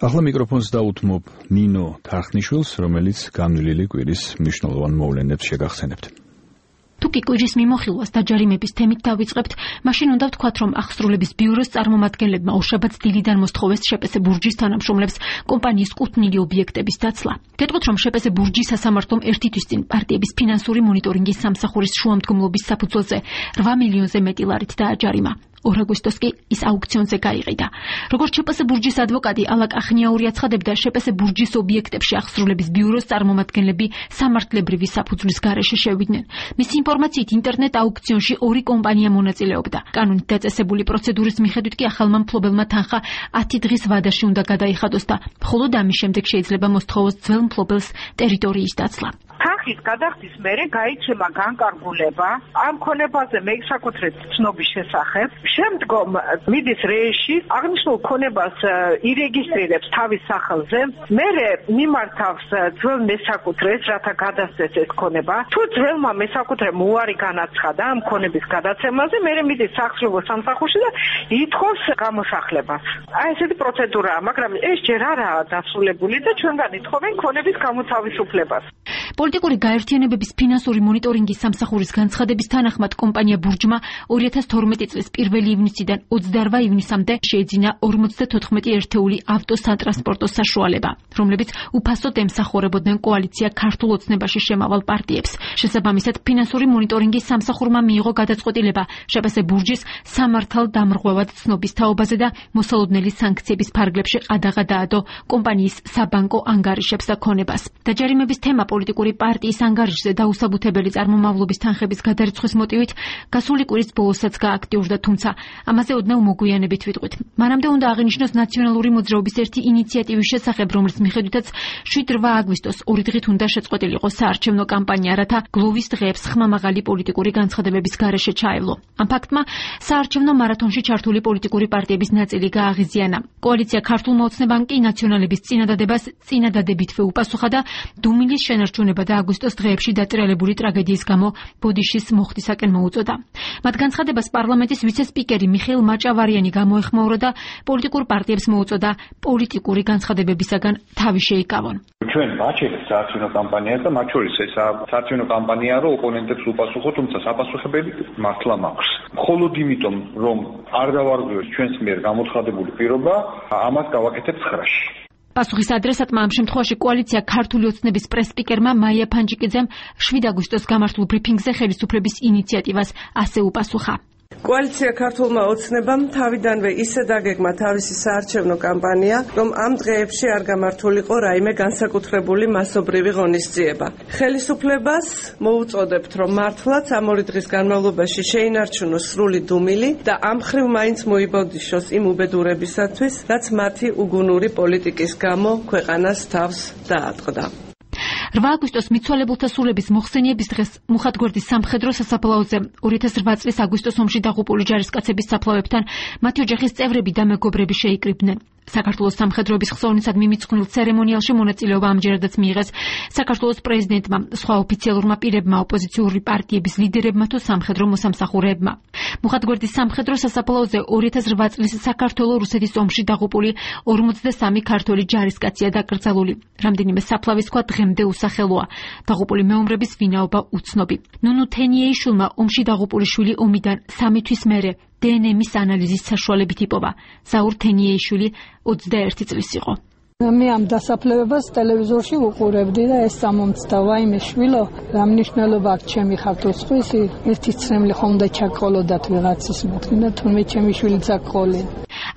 ახლა მიკროფონს დაუთმობ ნინო თარხნიშვილს, რომელიც განვლილი კვირის მნიშვნელოვან მოვლენებს შეგახსენებთ. თუკი კვირის მიმოხილვას დაჯარიმების თემით დავიწყებთ, მაშინ უნდა ვთქვათ, რომ აღსრულების ბიუროს წარმომადგენლებმა უშაბათს დილიდან მოსთხოვეს შეპესე ბურჯის თანამშრომლებს კომპანიის კუთვნილი ობიექტების დაცლა. გეტყვით, რომ შეპესე ბურჯის სასამართლომ ერთი თვის წინ პარტიების ფინანსური მონიტორინგის სამსახურის შუამდგომლობის საფუძველზე 8 მილიონზე მეტი ლარით დააჯარიმა. 2 აგვისტოს კი ის აუქციონზე გაიყიდა. როგორც შეპესე ბურჯის ადვოკატი ალაკ ახნიაური აცხადებდა, შეპესე ბურჯის ობიექტებში აღსრულების ბიუროს წარმომადგენლები სამართლებრივი საფუძვლის გარეშე შევიდნენ. მისი ინფორმაციით ინტერნეტ აუქციონში 2 კომპანია მონაწილეობდა. კანონით დაწესებული პროცედურის მიხედვით კი ახალმა მფლობელმა თანხა 10 დღის ვადაში უნდა გადაიხადოს და მხოლოდ ამის შემდეგ შეიძლება მოსთხოვოს ძველ მფლობელს ტერიტორიის დაცლა. თანხის გადახდის მერე გაიცემა განკარგულება ამ ქონებაზე მესაკუთრებით ცნობის შესახებ. შემდგომ მიდის რეიში, აღნიშნულ ქონებას ირეგისტრირებს თავის სახელზე, მერე მიმართავს ძველ მესაკუთრეს, რათა გადასცეს ეს ქონება. თუ ძველმა მესაკუთრემ უარი განაცხადა ამ ქონების გადაცემაზე, მერე მიდის სახსრებო სამსახურში და ითხოვს გამოსახლებას. ესეთი პროცედურაა, მაგრამ ეს ჯერ არაა დასრულებული და ჩვენგან ითხოვენ ქონების გამოთავისუფლებას. პოლიტიკური გაერთიანებების ფინანსური მონიტორინგის სამსახურის განცხადების თანახმად კომპანია ბურჯმა 2012 წლის 1 ივნისიდან 28 ივნისამდე შეეძინა 54 ერთეული ავტოსატრანსპორტო საშუალება, რომლებიც უფასოდ ემსახურებოდნენ კოალიცია ქართულ ოცნებაში შემავალ პარტიებს. შესაბამისად, ფინანსური მონიტორინგის სამსახურმა მიიღო გადაწყვეტილება შეპესე ბურჯის სამართალდამრღვევად ცნობის თაობაზე და მოსალოდნელი სანქციების ფარგლებში ყადაღა დაადო კომპანიის საბანკო ანგარიშებს და ქონებას. დაჯარიმების თემა პოლიტიკური პარტიის ანგარიშზე დაუსაბუთებელი წარმომავლობის თანხების გადარიცხვის მოტივით გასული კვირის ბოლოსაც გააქტიურდა, თუმცა ამაზე ოდნავ მოგვიანებით ვიტყვით. მანამდე უნდა აღინიშნოს ნაციონალური მოძრაობის ერთი ინიციატივის შესახებ, რომლის მიხედვითაც 7-8 აგვისტოს 2 დღით უნდა შეწყვეტილიყო საარჩევნო კამპანია, რათა გლოვის დღეებს ხმამაღალი პოლიტიკური განცხადებების გარეშე ჩაევლო. ამ ფაქტმა საარჩევნო მარათონში ჩართული პოლიტიკური პარტიების ნაწილი გააღიზიანა. კოალიცია ქართულმა ოცნებამ კი ნაციონალების წინადადებას წინადადებითვე უპასუხა და დუმილის შენარჩუნება და აგვისტოს დღეებში დატრიალებული ტრაგედიის გამო ბოდიშის მოხდისაკენ მოუწოდა. მათ განცხადებას პარლამენტის ვიცე-სპიკერი მიხეილ მაჭავარიანი გამოეხმაურა და პოლიტიკურ პარტიებს მოუწოდა პოლიტიკური განცხადებებისაგან თავი შეიკავონ. ჩვენ ვაჩერეთ საარჩევნო კამპანიას და მათ შორის ეს საარჩევნო კამპანია რო ოპონენტებს უპასუხო, თუმცა საპასუხებელი მართლა მაქვს. მხოლოდ იმიტომ, რომ არ დავარღვევს ჩვენს მიერ გამოცხადებული პირობა, ამას გავაკეთებ 9-ში. პასუხის ადრესატმა ამ შემთხვევაში კოალიცია ქართული ოცნების პრეს-სპიკერმა მაია ფანჯიკიძემ 7 აგვისტოს გამართულ ბრიფინგზე ხელისუფლების ინიციატივას ასე უპასუხა. კოალიცია ქართულმა ოცნებამ თავიდანვე ისე დაგეგმა თავისი საარჩევნო კამპანია, რომ ამ დღეებში არ გამართულიყო რაიმე განსაკუთრებული მასობრივი ღონისძიება. ხელისუფლებას მოუწოდებთ, რომ მართლაც ამ 2 დღის განმავლობაში შეინარჩუნოს სრული დუმილი და ამ მხრივ მაინც მოიბოდიშოს იმ უბედურებისათვის, რაც მათი უგუნური პოლიტიკის გამო ქვეყანას თავს დაატყდა. 8 აგვისტოს მიცვალებულთა სულების მოხსენიების დღეს მუხათგვერდის სამხედრო სასაფლაოზე 2008 წლის აგვისტოს ომში დაღუპული ჯარისკაცების საფლავებთან მათი ოჯახის წევრები და მეგობრები შეიკრიბნენ. საქართველოს სამხედროების ხსოვნისადმი მიწყვნილ ცერემონიალში მონაწილეობა ამჯერადაც მიიღეს საქართველოს პრეზიდენტმა, სხვა ოფიციალურმა პირებმა, ოპოზიციური პარტიების ლიდერებმა თუ სამხედრო მოსამსახურეებმა. მუხათგვერდის სამხედრო სასაფლაოზე 2008 წლის საქართველო-რუსეთის ომში დაღუპული 43 ქართველი ჯარისკაცია დაკრძალული. რამდენიმე საფლავის ქვა დღემდე უსახელოა. დაღუპული მეომრების ვინაობა უცნობი. ნუნუ თენიეიშვილმა ომში დაღუპული შვილი ომიდან 3 თვის მერე დნმ-ის ანალიზის საშუალებით იპოვა. ზაურ თენიეიშვილი 21 წლის იყო. მე ამ დასაფლავებას ტელევიზორში ვუყურებდი და ეს სამომცდა, ვაიმე შვილო, რა მნიშვნელობა აქვს ჩემი ხართოსხვისი, ერთი ცრემლი ხომ და ჩაგყოლოდათ ვიღაცის მოთმინა, თუნდაც ჩემი შვილი წაგყოლე.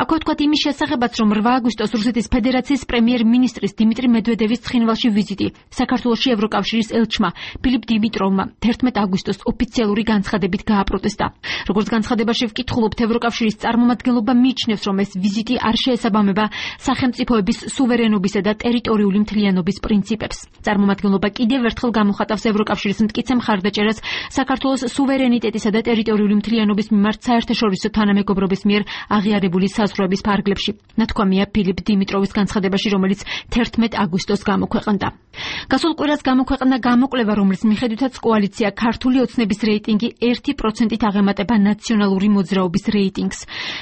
აქვე თქვათ იმის შესახებაც, რომ 8 აგვისტოს რუსეთის ფედერაციის პრემიერ-მინისტრის დიმიტრი მედვედევის ცხინვალში ვიზიტი საქართველოში ევროკავშირის ელჩმა ფილიპ დიმიტროვმა 11 აგვისტოს ოფიციალური განცხადებით გააპროტესტა. როგორც განცხადებაში ვკითხულობთ, ევროკავშირის წარმომადგენლობა მიიჩნევს, რომ ეს ვიზიტი არ შეესაბამება სახელმწიფოების სუვერენობისა და ტერიტორიული მთლიანობის პრინციპებს. წარმომადგენლობა კიდევ ერთხელ გამოხატავს ევროკავშირის მტკიცე მხარდაჭერას საქართველოს სუვერენიტეტისა და ტერიტორიული მთლიანობის მიმართ საერთაშორისო თანამეგობრობის მიერ აღიარებული განსაზღვრების ფარგლებში. ნათქვამია ფილიპ დიმიტროვის განცხადებაში, რომელიც 11 აგვისტოს გამოქვეყნდა. გასულ კვირას გამოქვეყნდა გამოკვლევა, რომლის მიხედვითაც კოალიცია ქართული ოცნების რეიტინგი 1%-ით აღემატება ნაციონალური მოძრაობის რეიტინგს.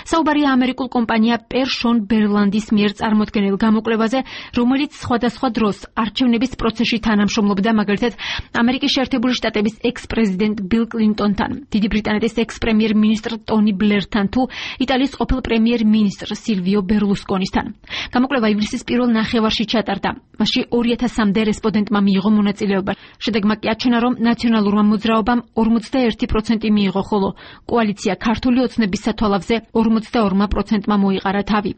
საუბარია ამერიკულ კომპანია პერშონ ბერლანდის მიერ წარმოდგენილ გამოკვლევაზე, რომელიც სხვადასხვა დროს არჩევნების პროცესში თანამშრომლობდა, მაგალითად, ამერიკის შეერთებული შტატების ექს-პრეზიდენტ ბილ კლინტონთან, დიდი ბრიტანეთის ექს-პრემიერ-მინისტრ ტონი ბლერთან თუ იტალიის ყოფილ პრემიერ-მინისტრ სილვიო ბერლუსკონისთან. გამოკვლევა ივლისის პირველ ნახევარში ჩატარდა. მასში 2000-მდე რესპონდენტმა მიიღო მონაწილეობა. შედეგმა კი აჩვენა, რომ ნაციონალურმა მოძრაობამ 41% მიიღო, ხოლო კოალიცია ქართული ოცნების სათვალავზე 42%-მა მოიყარა თავი.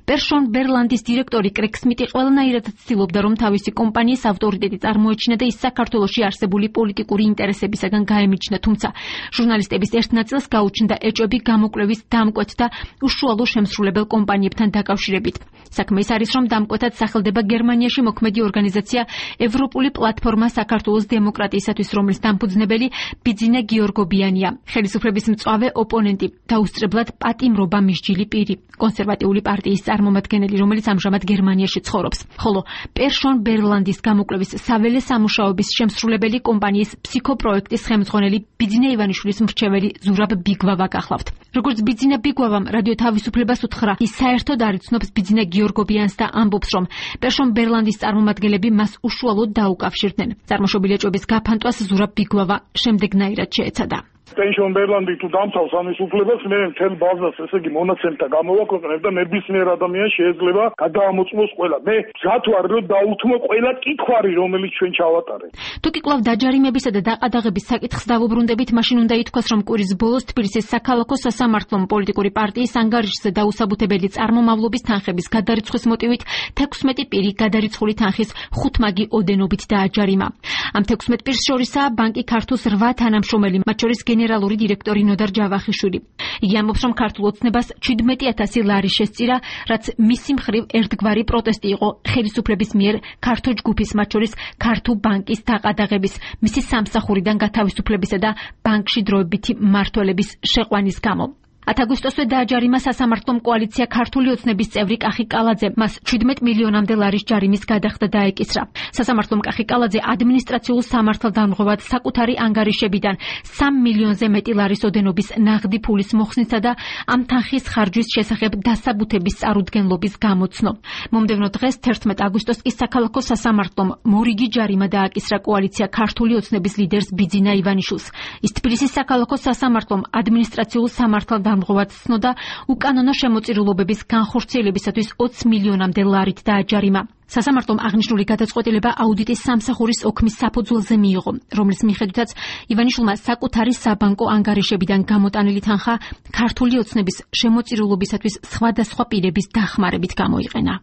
პერშონ ბერლანდის დირექტორი კრეგ სმიტი ყველანაირად ცდილობდა, რომ თავისი კომპანიის ავტორიტეტი წარმოეჩინა და ის საქართველოში არსებული პოლიტიკური ინტერესებისაგან გაემიჯნა, თუმცა ჟურნალისტების ერთ ნაწილს გაუჩნდა ეჭვები გამოკვლევის დამკვეთ და უშუალო შემსრულებელ კომპანიებთან დაკავშირებით. საქმე ის არის, რომ დამკვეთად სახელდება გერმანიაში მოქმედი ორგანიზაცია ევროპული პლატფორმა საქართველოს დემოკრატიისათვის, რომლის დამფუძნებელი ბიძინა გიორგობიანია, ხელისუფლების მწვავე ოპონენტი და უსწრებლად პატიმრობა მისჯილი პირი, კონსერვატიული პარტიის წარმომადგენელი, რომელიც ამჟამად გერმანიაში ცხოვრობს. ხოლო პერშონ ბერლანდის გამოკვლევის საველე სამუშაოების შემსრულებელი კომპანიის ფსიქოპროექტის ხელმძღვანელი ბიძინა ივანიშვილის მრჩეველი ზურაბ ბიგვავა გახლავთ. როგორც ბიძინა ბიგვავამ რადიო თავისუფლებას უთხრა, ის საერთოდ არ იცნობს ბიძინა გიორგობიანს და ამბობს, რომ პერშონ ბერლანდის წარმომადგენლები მას უშუალოდ დაუკავშირდნენ. წარმოშობილი ეჭვების გაფანტვას ზურაბ ბიგვავა შემდეგნაირად შეეცადა. პერშონ ბერლანდი თუ დამთავს ამის უფლებას, მე მთელ ბაზას, ესე იგი მონაცემთა გამოვაქვეყნებ და ნებისმიერ ადამიანს შეიძლება გადაამოწმოს ყველა. მე მზად ვარ, რომ დაუთმო ყველა კითხვარი, რომელიც ჩვენ ჩავატარეთ. თუ კი კვლავ დაჯარიმებისა და დაყადაღების საკითხს დავუბრუნდებით, მაშინ უნდა ითქვას, რომ კვირის ბოლოს თბილისის საქალაქო სასამართლომ პოლიტიკური პარტიის ანგარიშზე დაუსაბუთებელი წარმომავლობის თანხების გადარიცხვის მოტივით 16 პირი გადარიცხული თანხის 5 მაგი ოდენობით დააჯარიმა. ამ 16 პირს შორისაა ბანკი ქართუს 8 თანამშრომელი, მათ შორის გენერალური დირექტორი ნოდარ ჯავახიშვილი. იგი ამბობს, რომ ქართულ ოცნებას 17,000 ლარი შესწირა, რაც მისი მხრივ ერთგვარი პროტესტი იყო ხელისუფლების მიერ ქართო ჯგუფის, მათ შორის ქართუ ბანკის დაყადაღების, მისი სამსახურიდან გათავისუფლებისა და ბანკში დროებითი მმართველების შეყვანის გამო. 10 აგვისტოსვე დააჯარიმა სასამართლომ კოალიცია ქართული ოცნების წევრი კახი კალაძე, მას 17 მილიონამდე ლარის ჯარიმის გადახდა დაეკისრა. სასამართლომ კახი კალაძე ადმინისტრაციულ სამართალდამღვრად საკუთარი ანგარიშებიდან 3 მილიონზე მეტი ლარის ოდენობის ნაღდი ფულის მოხსნისა და ამ თანხის ხარჯვის შესახებ დასაბუთების წარუდგენლობის გამოცნო. მომდევნო დღეს 11 აგვისტოს კი საქალაქო სასამართლომ მორიგი ჯარიმა დააკისრა კოალიცია ქართული ოცნების ლიდერს ბიძინა ივანიშვილს. ის თბილისის საქალაქო სასამართლომ ადმინისტრაციულ სამართალდამღვრად ცნოდა უკანონო შემოწირულობების განხორციელებისათვის 20 მილიონამდე ლარით დააჯარიმა. სასამართლომ აღნიშნული გადაწყვეტილება აუდიტის სამსახურის ოქმის საფუძველზე მიიღო, რომლის მიხედვითაც ივანიშვილმა საკუთარი საბანკო ანგარიშებიდან გამოტანილი თანხა ქართული ოცნების შემოწირულობისათვის სხვადასხვა პირების დახმარებით გამოიყენა.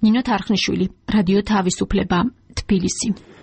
ნინო თარხნიშვილი, რადიო თავისუფლება, თბილისი.